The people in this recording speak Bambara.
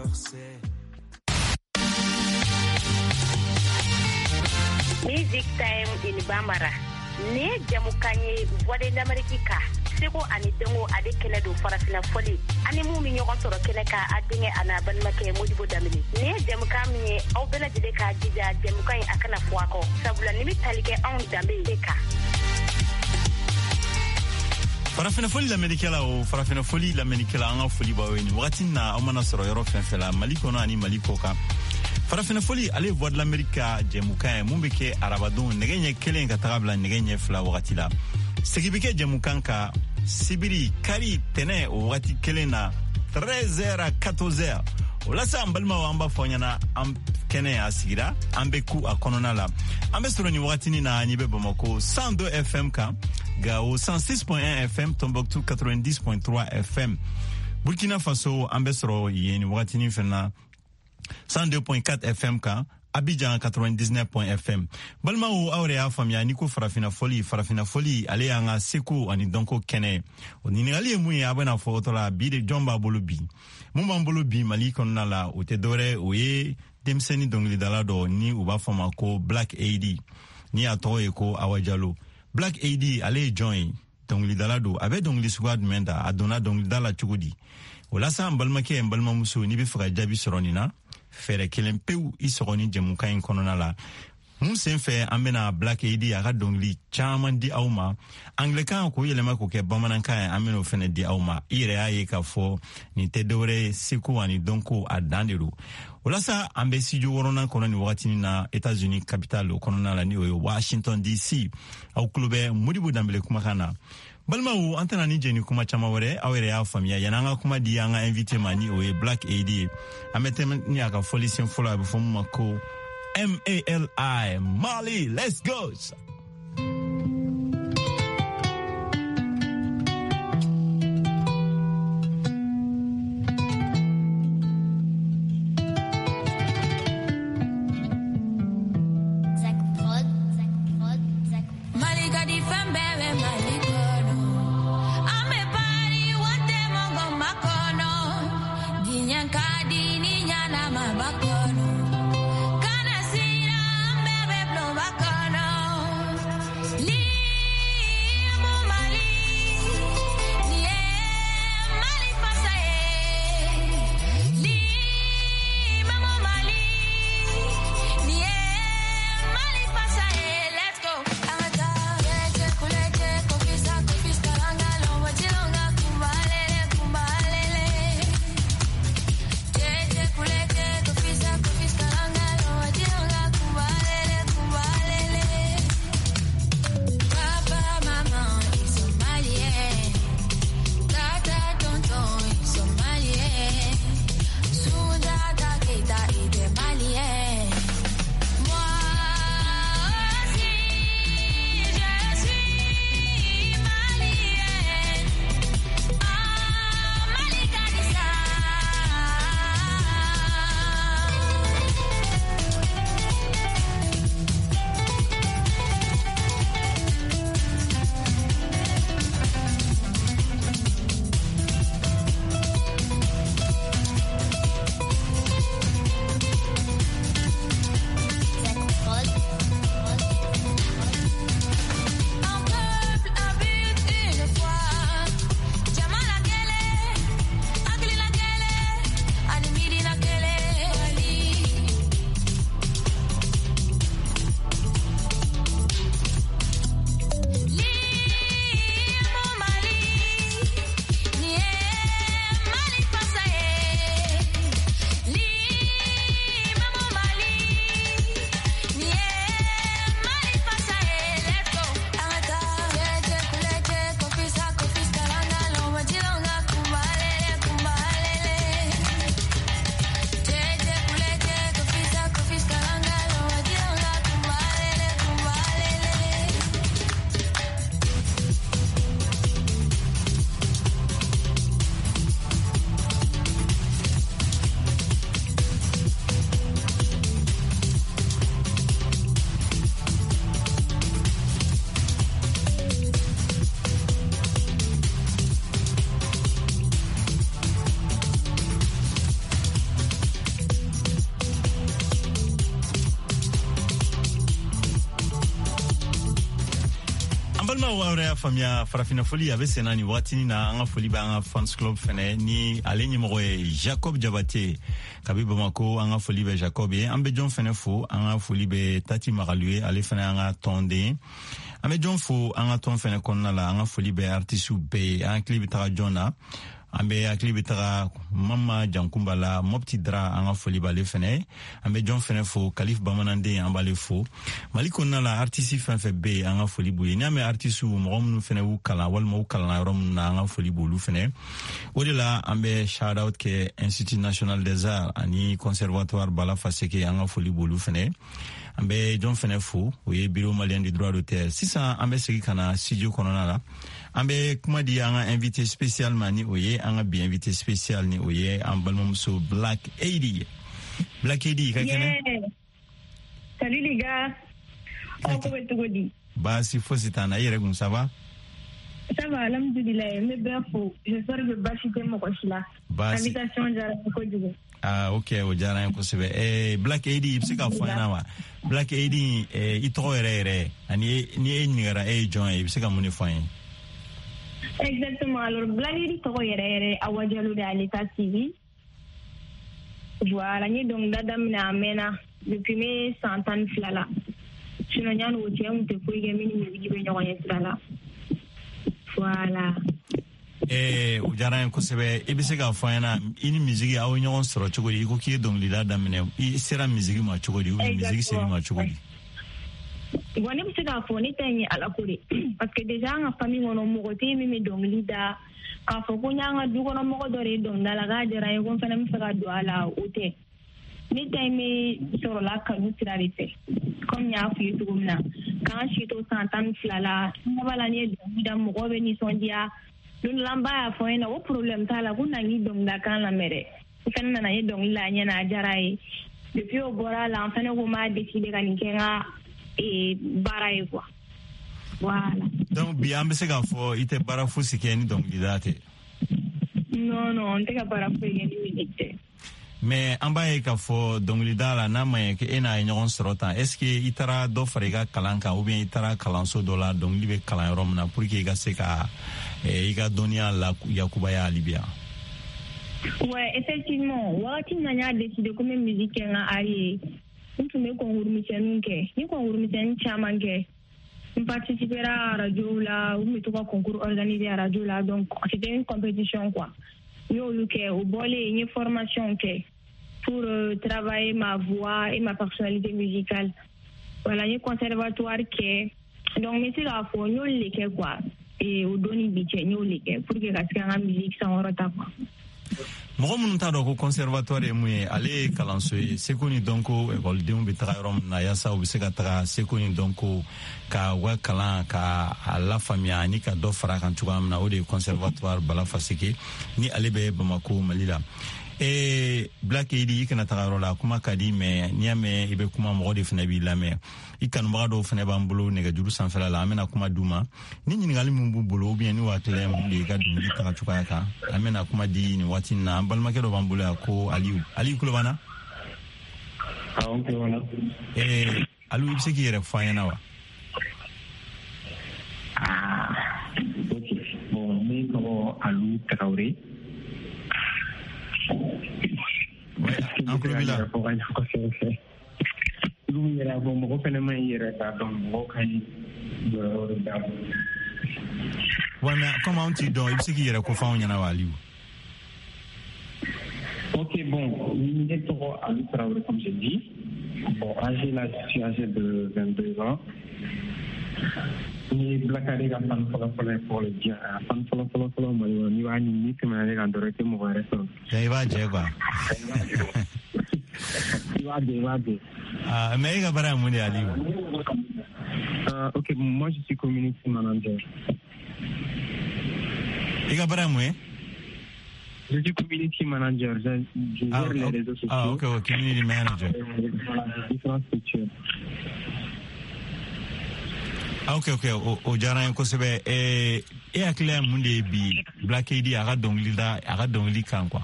corset. Music Time in Bambara. Nin ye jamukan ye Voix de l'Amérique kan seko ani dɔnko ale kɛnɛ don farafina fɔli ani mun bɛ ɲɔgɔn sɔrɔ kɛnɛ kan a denkɛ a n'a balimakɛ Modibo Danbele nin ye jamukan min ye aw bɛɛ lajɛlen k'a jija jamukan in a kana fɔ a kɔ sabula nin bɛ tali kɛ anw danbe de kan. Farafinafoli lamɛnnikɛla o farafinafoli lamɛnnikɛla an ka foli b'aw ye nin wagati na aw mana sɔrɔ yɔrɔ fɛn fɛn la Mali kɔnɔ ani Mali kɔ kan. Farafinafoli ale ye Voix de l'Amérique ka jɛmukan ye mun bɛ kɛ arabadon nɛgɛ ɲɛ kelen ka taga bila nɛgɛ ɲɛ fila wagati la. Segin bɛ kɛ jɛmukan kan sibiri kari tɛnɛ o wagati kelen na 13h à 14h. O la sa an balimaw an b'a fɔ ɲɛna an kɛnɛ a sigira an bɛ ku a kɔnɔna la an bɛ sɔrɔ nin wagatinin na n'i bɛ Bamako 102 FM kan Gao 106.1 FM Tombouctou 90.3 FM Burkina Faso an bɛ sɔrɔ yen nin wagatinin fana na 102.4 FM kan Abidjan 99.fm FM balimaw aw yɛrɛ y'a faamuya n'i ko farafinna fɔli farafinna fɔli ale y'an ka seko ani dɔnko kɛnɛ ye o ɲininkali ye mun ye a bɛna fɔ o la bi de jɔn b'a bolo bi mun b'an bolo bi Mali kɔnɔna la o tɛ dɔwɛrɛ o ye denmisɛnnin dɔnkilidala dɔ ni u b'a fɔ ma ko Black AD ni a tɔgɔ ye ko Awa Jalo. Black AD ale ye jɔn ye dɔnkilidala don a bɛ dɔnkili suguya jumɛn da a donna dɔnkilida la cogo di o la sa n balimakɛ n balimamuso n'i bɛ fɛ ka jaabi sɔrɔ nin na fɛɛrɛ kelen pewu i sɔgɔ ni jɛmukan in kɔnɔna la mun sen fɛ an bɛna Black AD a ka dɔnkili caman di aw ma anglɛkan k'o yɛlɛma k'o kɛ bamanankan ye an bɛn'o fɛnɛ di aw ma i yɛrɛ y'a ye k'a fɔ nin tɛ dɔwɛrɛ ye seko ani dɔnko a dan de don o la sa an bɛ studio wɔɔrɔnan kɔnɔ nin wagatinin na États-Unis capitale o kɔnɔna la ni o ye Washington DC aw tulo bɛ Modibo Danbele kumakan na balimaw an tɛna ni jɛni kuma caman wɛrɛ aw yɛrɛ y'a faamuya yanni an ka kuma di an ka invité ma ni o ye Black AD ye an bɛ tɛmɛ ni a ka fɔlisen fɔlɔ a bɛ fɔ mun ma ko MALI Mali let's go. Balimaw, aw yɛrɛ y'a faamuya, Farafinna Foli a bɛ senna nin wagatinin na. An ka foli bɛ an ka fans club fɛnɛ ni ale ɲɛmɔgɔ ye Jacob Jabate kabi Bamako. An ka foli bɛ Jacob ye. An bɛ jɔn fɛnɛ fo? An ka foli bɛ Tati Magalu ye, ale fɛnɛ an ka tɔnden ye. An bɛ jɔn fo an ka tɔn fɛnɛ kɔnɔna la? An ka foli bɛ artisiw bɛɛ ye. An hakili bɛ taga jɔn na? An bɛ hakili bɛ taga Mama Jankunba la, Mɔpti Dara, an ka foli b'ale fɛnɛ. An bɛ jɔn fɛnɛ fo? Kalif Bamananden, an b'ale fo. Mali kɔnɔna la, artisi fɛn fɛn bɛ yen, an ka foli b'u ye. N'i y'a mɛn artisiw, mɔgɔ minnu fɛnɛ y'u kalan walima u kalanna yɔrɔ minnu na, an ka foli b'olu fɛnɛ. O de la an bɛ shout out kɛ Institut national des arts ani Conservatoire Bala Faseke, an ka foli b'olu fɛnɛ. An bɛ jɔn fɛnɛ fo? O ye Bureau malien du droit d'auteur. Sisan an bɛ segin ka na studio kɔnɔna la. An bɛ kuma di an ka invité spécial ma, ni o ye an ka bi invité spécial, ni o ye an balimamuso Black AD. Black AD, i ka kɛnɛ? Salut les gars. Aw ko bɛ cogo di? Baasi fosi t'an na. I yɛrɛ kun, ça va? Ça va, alhamdulilayi. N bɛ bɛɛ fo. J'espère que baasi tɛ mɔgɔ si la. Baasi. Invitation diyara n ye kojugu. Ah ok, o diyara n ye kosɛbɛ. Black AD, i bɛ se k'a fɔ an ɲɛna wa, Black AD, i tɔgɔ yɛrɛ yɛrɛ, ani ni e ɲininkara e ye jɔn ye, i bɛ se ka mun de fɔ an ye? Exactement. Alors, Black AD tɔgɔ yɛrɛ yɛrɛ, Awa Diallo de à l'état civil. Voilà, n ye dɔnkilida daminɛ a mɛnna, depuis n bɛ san 12 la. Sinon yanni o cɛ, n tun tɛ foyi kɛ min ni musique bɛ ɲɔgɔn ɲɛ sira la. Voilà. O diyara n ye kosɛbɛ. I bɛ se k'a fɔ an ɲɛna, i ni musique aw ye ɲɔgɔn sɔrɔ cogo di? I ko k'i ye dɔnkilida daminɛ, i sera musique ma cogo di, ou bien musique sera i ma cogo di? Bon, ne bɛ se k'a fɔ ne ta in ye Ala ko de, parce que déjà an ka famille kɔnɔ, mɔgɔ tɛ yen min bɛ dɔnkili da. K'a fɔ ko n y'an ka du kɔnɔ mɔgɔ dɔ de ye dɔnkilida la k'a diyara n ye ko n fana bɛ fɛ ka don a la, o tɛ. Ne ta in bɛ sɔrɔla kanu sira de fɛ. Comme n y'a f'i ye cogo min na, k'an si to san 12 la, n b'a la, n'i ye dɔnkili da, mɔgɔw bɛ nisɔndiya. Don dɔ la, n ba y'a fɔ n ɲɛna ko problème t'a la, ko na n k'i dɔnkilida kan lamɛn dɛ. N fɛnɛ nana, n ye dɔnkili la a ɲɛna, a diyara a ye. Depuis o bɔra a la, n fɛnɛ ko n b'a décider ka nin kɛ n ka baara ye quoi. Voilà. Donc bi an bɛ se k'a fɔ i tɛ baara fosi kɛ ni dɔnkilida tɛ? Non, n tɛ ka baara foyi kɛ ni musique tɛ. Mais an b'a ye k'a fɔ dɔnkilida la, n'a ma ɲɛ k'e n'a ye ɲɔgɔn sɔrɔ tan, est ce que i taara dɔ fara i ka kalan kan, ou bien i taara kalanso dɔ la dɔnkili bɛ kalan yɔrɔ min na, pour que i ka se ka i ka dɔnniya la yakubaya hali bi yan? Ouais, effectivement, wagati min na n y'a décidé ko n bɛ musique kɛ n ka art ye, n tun bɛ concours misɛnninw kɛ. N ye concours misɛnnin caman kɛ. N participera radio la, u tun bɛ to ka concours organiser radio la, donc c'était une compétition quoi. N y'olu kɛ. O bɔlen, n ye formation kɛ pour travailler ma voix et ma personnalité musicale. Voilà, n ye conservatoire kɛ. Donc n bɛ se k'a fɔ n y'olu de kɛ quoi. Et o don ni bi cɛ, n y'olu de kɛ pour que ka se ka n ka musique sankɔrɔta quoi. Mɔgɔ minnu t'a dɔn ko conservatoire ye mun ye, ale ye kalanso ye seko ni dɔnko, ekɔlidenw bɛ taga yɔrɔ min na yaasa u bɛ se ka taga seko ni dɔnko ka u ka kalan ka a lafaamuya ani ka dɔ fara a kan cogoya min na. O de ye Conservatoire Bala Faseke, ni ale bɛ Bamako, Mali la. Black AD, i kana taga yɔrɔ la. Kuma ka di, mais n'i y'a mɛn i bɛ kuma, mɔgɔ de fana b'i lamɛn. I kanubaga dɔw fana b'an bolo nɛgɛjuru sanfɛla la. An bɛna kuma d'u ma ni ɲininkali min b'u bolo, ou bien ni hakilina ye mun de ye i ka dɔnkili taga cogoya kan. An bɛna kuma di nin waati in na. An balimakɛ dɔ b'an bolo yan ko Aliyu. Aliyu, tulo b'an na? Awɔ, n tulo b'an na. Aliyu, i bɛ se k'i yɛrɛ fɔ an ɲɛna wa? Ah, ok, bon, ne tɔgɔ Alu Tarawele. An tulo b'i la. I b'u yɛrɛ fɔ, mɔgɔ fɛnɛ ma ɲi yɛrɛ k'a dɔn, mɔgɔ ka ɲi jɔyɔrɔ de d'a ma. Wa mais comme anw t'i dɔn, i bɛ se k'i yɛrɛ kofɔ anw ɲɛna wa, Aliyu? Ok, bon, ne tɔgɔ Alu Traoré, comme j'ai dit. Bon, âgé là, je suis âgé de 22 ans. Ni Black AD ka fan fɔlɔ fɔlɔ ye pour le dire, a fan fɔlɔ fɔlɔ fɔlɔ Mali kɔnɔ, n'i b'a ɲini, n'i tɛmɛna ne kan dɔrɔn, i tɛ mɔgɔ wɛrɛ sɔrɔ. I b'a jɛ quoi. I b'a jɛ, i b'a jɛ. Ah, mais e ka baara ye mun de ye, Aliyu? Ok, moi je suis community manager. I ka baara ye mun ye? Je suis community manager. Je gère les réseaux sociaux. Ah, ok, community manager. Voilà, différentes structures. Ah, ok, o diyara n ye kosɛbɛ. E hakilina ye mun de ye bi Black AD a ka dɔnkili da, a ka dɔnkili kan quoi?